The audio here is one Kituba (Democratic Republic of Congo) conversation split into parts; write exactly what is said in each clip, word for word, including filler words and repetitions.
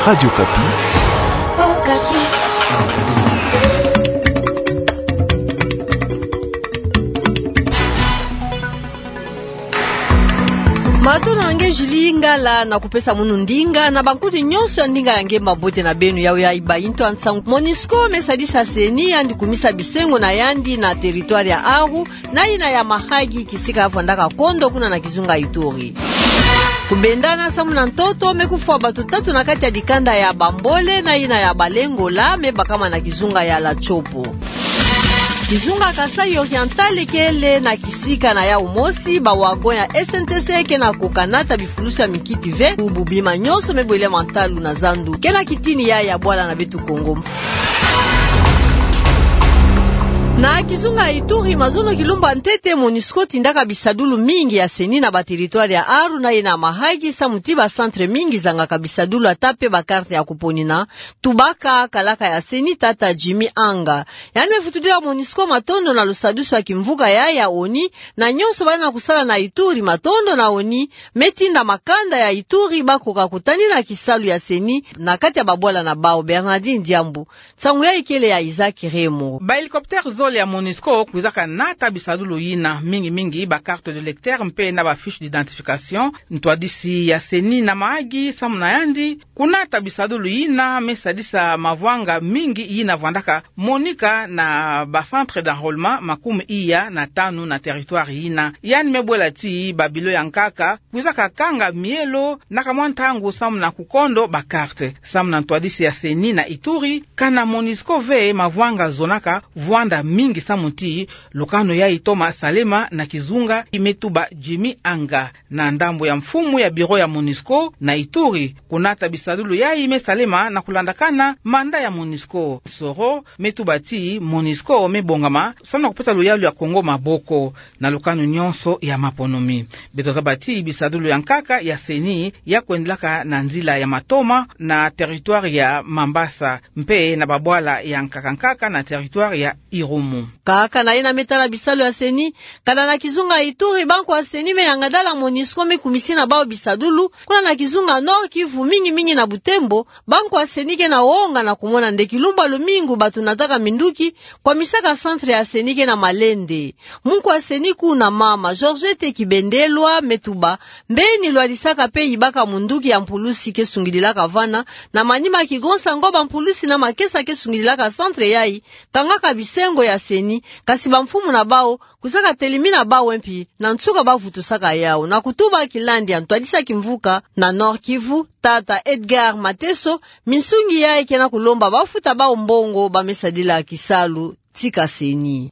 Radio Okapi. Matondo na nge Julie Ngala, na kupesa munu ndinga na bankutu nyonso ya ndinga ya nge. Mabote na beno. Yawu ya iba intu ya nsangu. Monusco me sadisa CENI yandi kumisa bisengo na yandi na territoire ya Aru, na yina ya Mahagi, kisika ya vwandaka kondo kuna na kizunga Ituri. Kubendana samu na ntoto, me kufwa bato tatu na kati ya dikanda ya Bambole na yina ya Balengola, me bakama na kizunga ya La Chopo. Kizunga Kasaï Oriental kele na kisika na yawu mosi, ba wagon ya S N T C ke na kukanata bifulusi ya mikiti ve, bubu bima nyonso me bwele mantalu na zandu. Ke na kitini ya ya bwala na beto Kongo. Na kizunga Ituri, mazono kilumbu ya ntete, Monusco tindaka bisadulu mingi ya CENI na ba territoire ya Aru na yina Mahagi, samu ti ba centre mingi zangaka bisadulu, ata pe ba carte ya kuponina. Tubaka kalaka ya CENI, tata Jimmy Anga. Yandi me vutudila Monusco matondo na lusadusu ya kimvuka ya ya ONU, na nyonso baye na kusala na Ituri. Matondo na ONU me tinda makanda ya Ituri bakoka kutanina kisalu ya CENI na kati ya babwala na bawu. Bernardine Diambu. Nsangu yayi kele ya Isaac Remo. Ba hélicoptère zole ya Monusco kwizaka nata bisadulu yina, mingi mingi ba carte d'électeur mpe na ba fiche d'identification. Ntwadisi ya CENI na Mahagi, samu na yandi, kunata bisadulu yina me sadisa mavwanga mingi yina vwandaka monika na ba centre d'enrôlement makumi iya na tanu na territoire yina. Yandi me bwela ti ba bilo ya nkaka kwizaka kanga mielo na kamwa ntangu samu na kukondo ba carte. Samu na ntwadisi ya CENI na Ituri, kana Monusco ve mavwanga zonaka vwanda mingi samu ti lukanu yayi toma salema na kizunga, me tuba Jimmy Anga. Na ndambu ya mfumu ya bureau ya Monusco na Ituri, kunata bisadulu yayi me salema na kulandakana manda ya Monusco. Soro me tuba ti Monusco me bongama samu na kupesa luyalu ya Kongo maboko na lukanu nyonso ya maponomi. Beto zaba ti bisadulu ya nkaka ya CENI ya kwendelaka na nzila ya matoma na territoire ya Mambasa, mpe na babwala ya nkaka nkaka na territoire ya Irumu. Kaka na yina me tala bisalu ya CENI, kana na kizunga Ituri, banku ya CENI me yangadala Monusco me kumisi na bawu bisadulu kuna na kizunga Nord-Kivu, mingi mingi na Butembo. Banku ya CENI ke na wonga na kumona nde kilumbu ya lumingu bato nataka minduki, kwamisaka centre ya CENI ke na malende. Munku ya CENI kuna, mama Georgette Kibendelwa, me tuba mbeni lwadisaka pe yibaka munduki ya mpulusi ke sungidilaka vana, na manima kigonsa ngo ba mpulusi na makesa ke sungidilaka centre yayi, kangaka bisengo ya CENI, kasi ba mfumu na bawu kwizaka telimina bawu mpi, na nsuka ba vutusaka yawu. Na kutuba kilandi ya ntwadisi ya kimvuka na Nord-Kivu, tata Edgar Mateso, minsungi yayi ke na kulomba ba futa bawu mbongo ba me sadila kisalu tika CENI.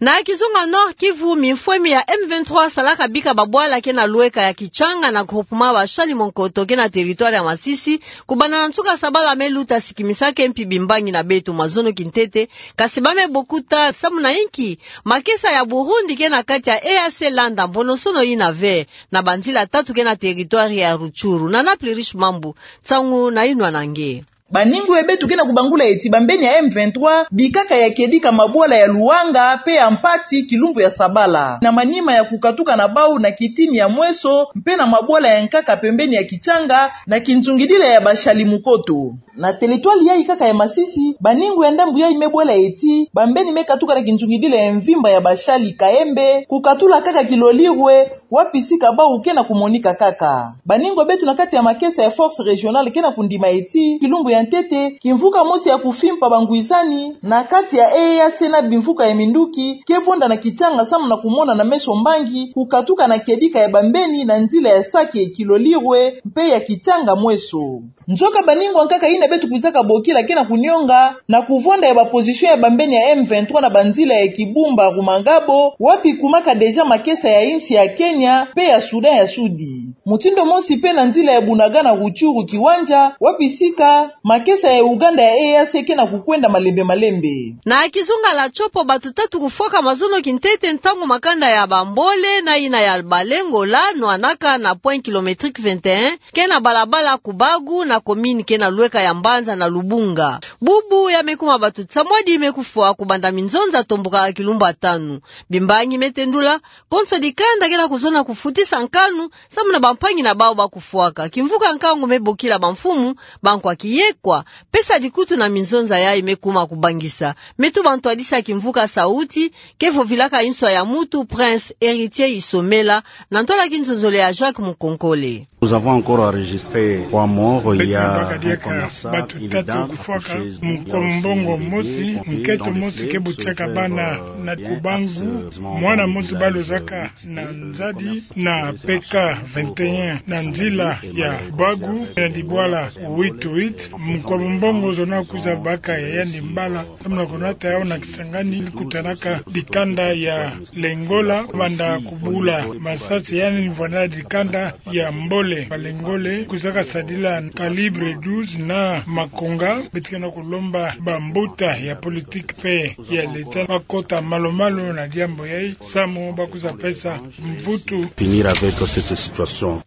Na kizunga Nord-Kivu, mimfwemi ya M vingt-trois salaka bika babwala ke na lweka ya Kitchanga na groupement Bashali Monkoto ke na territoire ya Masisi, kubanda na nsuka sabala me luta, sikimisaka mpi bimbangi na beto. Mazono kintete, kasi ba me bokuta samu na inki makesa ya Burundi ke na kati ya E A C landa mponosono yina ve na banzila tatu ke na territoire ya Rutshuru. Nana Plurish Mambu, nsangu na inwa na nge. Baningu ya beto ke na kubangula ti bambeni ya M vingt-trois bikaka ya kedika mabwala ya Luanga pe ya Mpati kilumbu ya sabala, na manima ya kukatuka na bawu na kitini ya Mweso mpe na mabwala ya nkaka pembeni ya Kitchanga na kinzungidila ya Bashali Monkoto. Na territoire yayi kaka ya Masisi, baningu ya ndambu yayi me bwela ti bambeni me katuka na kinzungidila ya mvimba ya Bashali Kaembe, kukatula kaka Kilolirwe, wapi sika bawu ke na kumonika kaka. Baningu ya beto na kati ya makesa ya Force Régionale ke na kundima ti kilumbu ya ntete, kimvuka mosi ya kufimpa bangwisani na kati ya E A C na bimvuka ya minduki ke vonda na Kitchanga samu na kumona na meso mbangi kukatuka na kedika ya bambeni na nzila ya Sake Kilolirwe mpe ya Kitchanga Mweso. Nzoka baningu ya nkaka yina beto kwizaka bokila ke na kunionga na kuvwanda ya ba position ya bambeni ya M vingt-trois na banzila ya Kibumba, Rumangabo, wapi kumaka déjà makesa ya insi ya Kenya mpe ya Soudan ya Sudi. Mutindu mosi mpe na nzila ya Bunagana, Rutshuru, Kiwanja, wapi sika Makesa ya Uganda ya E A C ke na kukwenda malembe malembe. Na kizunga la Tshopo, bato tatu kufwaka mazono kintete ntangu makanda ya Bambole na yina ya Balengola nwanaka na point kilométrique vingt et un, ke na balabala Kubagu na commune ke na lweka ya Mbanza na Lubunga. Bubu ya me kuma bato nsamwadi me kufwa kubanda minzonza tombuka kilumbu ya tanu. Bimbangi me tendula, konso dikanda ke na kuzona kufutisa nkanu, samu na bampangi na bawu ba kufwaka. Kimvuka nkangu me bokila bamfumu, bankwa kiyekwa, pesa dikutu na minzonza yayi me kuma kubangisa. Me tuba ntwadisi ya kimvuka sauti, ke vovilaka inswa ya mutu, Prince Héritier Isomela, na ntwala kinzonzolo ya Jacques Mukonkole. Nous avons encore enregistré trois morts. Il y a un commerçant, une dame accoucheuse, il y a aussi des bébés dont les plaies se peuvent, euh, dans les veines. Beto na mbaka diaka bato tatu kufwaka, mukolo mbongo mosi, nkento mosi ke butiaka bana na Kubangu, mwana mosi balozaka na nzadi na P K vingt et un na nzila ya Bagu na dibwala huit huit. Mukwa mumbongo zona kwiza baka ya yandi mbala, samu na konata yawu na Kisangani, kutanaka dikanda ya Lengola, banda kubula masasi yandi nivwanda dikanda ya Mbole. Balengole kwizaka sadila calibre douze na makonga. Beto ke na kulomba bambuta ya politique mpe ya l'État bakota malu-malu na diambu yayi, samu ba kwiza pesa mvutu. Finir avec cette situation.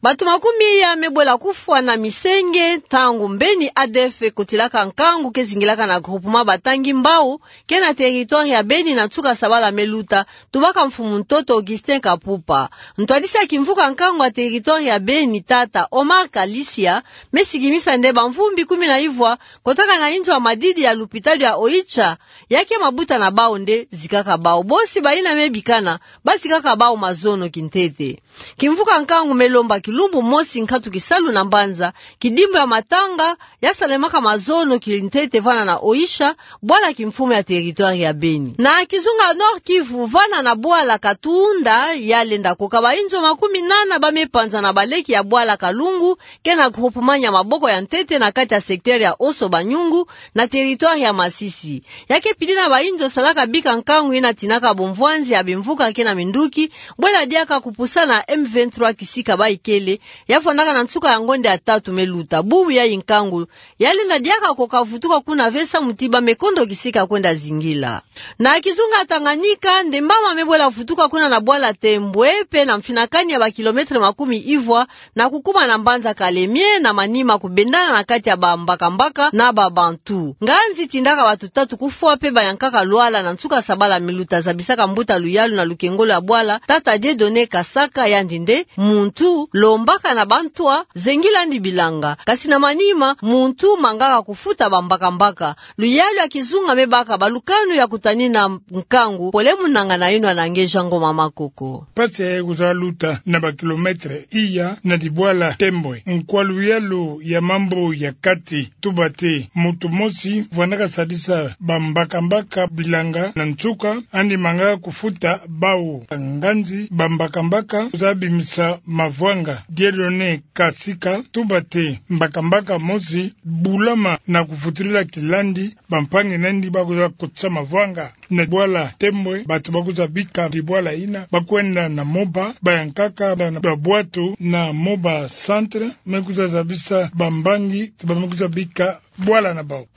Bato makumi ya me bwela kufwa na misenge, ntangu mbeni A D F ekotilaka nkangu ke zingilaka na groupement Batangi Mbawu, ke na territoire ya Beni na nsuka sabala me luta, tubaka mfumu ntoto Augustin Kapupa. Ntwadisi ya kimvuka nkangu ya territoire ya Beni, tata Omar Kalisia, me sikimisa nde bamvumbi kumi na ivwa kotaka na inzo ya madidi ya lupitalu ya Oicha, ya ke mabuta na bawu nde zikaka bawu. Bosi bayina me bikana, ba zikaka bawu mazono kintete. Kimvuka nkangu me lomba kilumbu mosi nkatu kisalu na mbanza, kidimbu ya matanga ya salemaka mazono kintete vana na Oicha, bwala kimfumu ya territoire ya Beni. Na kizunga Nord-Kivu, vana na bwala Katunda, ya lenda koka bainzo makumi nana ba me panza na baleki ya bwala Kalungu, ke na groupement Nyamaboko ya ntete na kati ya secteur ya Oso Banyungu, na territoire ya Masisi. Ya ke pili na bainzo salaka bika nkangu yina tinaka bomvwanzi ya bimvuka ke na minduki, bwela diaka kupusana na M vingt-trois kisika ba ikele, ya vwandaka na nsuka ya ngonde ya tatu me luta. Bubu yayi nkangu ya lenda diaka koka vutuka kuna ve samu ti ba me kondo kisika kwenda zingila. Na kizunga Tanganyika, ndemba ma me bwela vutuka kuna na bwala Tembwe, mpe na mfinakani ya ba kilomètre makumi ivwa, na kukuma na mbanza Kalemie, na manima kubendana na kati ya bambakambaka na ba Bantu. Nganzi tindaka bato tatu kufwa mpe bayankaka lwala na nsuka sabala me luta, zabisaka mbuta luyalu na lukengolo ya bwala, tata Dieudonné Kasaka, yandi nde muntu lombaka na bantwa, zengilandi bilanga. Kasi na manima, muntu mangaka kufuta bambakambaka. Luyalu ya kizunga me baka balukanu ya kutanina nkangu, pole munangana yinwa na nge Jean Ngoma Makoko. Mpasi yayi kwiza luta na ba kilomètre iya na dibwala Tembwe. Nkwa luyalu ya mambu ya kati tuba ti muntu mosi vwandaka sadisa bambakambaka bilanga na nsuka, yandi mangaka kufuta bawu. Nganzi bambakambaka kwiza bimisa mavwanga. Dieudonné Kasika tuba ti mbakambaka mosi bulama na kufutilila kilandi, bampangi nandi ba kwiza kotisa mavwanga na bwala Tembwe. Bato ba kwiza bika dibwala yina, ba kwenda na Moba, bayankaka na, na bwatu na Moba Centre, me kwiza zabisa bambangi ti ba me kwiza bika bwala na bawu.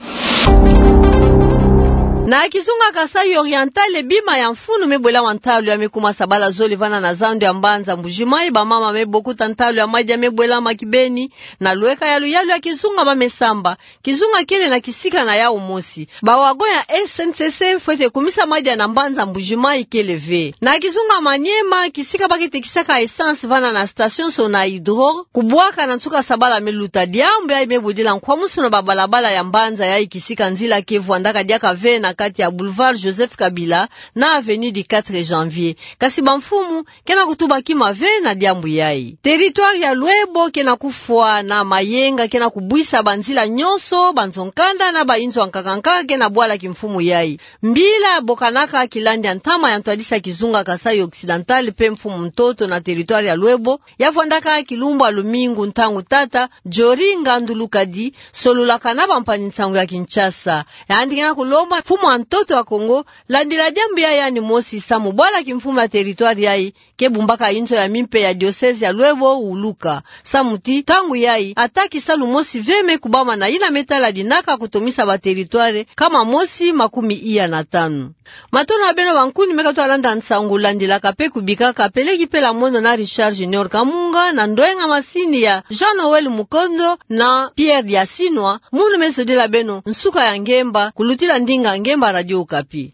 Na kizunga Kasaï Oriental, bima ya mfunu me bwelama ntalu ya me kuma sabala zole vana na zandu ya mbanza Mbuji-Mayi. Bamama me bokuta ntalu ya madi ya me bwelama kibeni, na lweka ya luyalu ya kizunga ba me samba. Kizunga kele na kisika na yawu mosi. Ba wagon ya S N C C fwete kumisa madi ya na mbanza Mbuji-Mayi kele ve. Na kizunga Maniema, kisika ba ke tekisaka essence vana na station Sonahydro, kubwaka na nsuka sabala me luta. Diambu yayi me budila nkwamusu na babalabala ya mbanza yayi, kisika nzila ke vwandaka diaka ve na kati ya boulevard Joseph Kabila na avenue du quatre janvier. Kasi bamfumu ke na kutuba kima ve na diambu yayi. Territoire ya Lwebo ke na kufwa na mayenga ke na kubwisa banzila nyonso, banzo-nkanda na bainzo ya nkaka-nkaka ke na bwala kimfumu yayi. Mbila bokanaka kilandi ya ntama ya ntwadisi ya kizunga Kasaï Occidental mpe mfumu ntoto na territoire ya Lwebo, ya vwandaka kilumbu ya lumingu ntangu tata Jory Ngandulukadi sololaka na bampangi-nsangu ya Kinshasa. Yandi ke na kulomba mfumu a ntoto ya Kongo, landila diambu yayi yandi mosi, samu bwala kimfumu ya territoire yayi ke bumbaka inzo ya mimpe ya diocèse ya Loebo Wuluka. Samu ti ntangu yayi ata kisalu mosi ve me kubama na yina me tala dinaka kutomisa ba territoire kama mosi makumi iya na tanu. Matondo na beno bankuni me katuka landa nsangu, landilaka pe kubikaka peleki pela mono na Richard Junior Kamunga, na ndwenga masini ya Jean Noël Mukondo na Pierre Diasinwa. Munu me zodila beno nsuka ya ngemba kulutila ndinga ngemba Radio Okapi.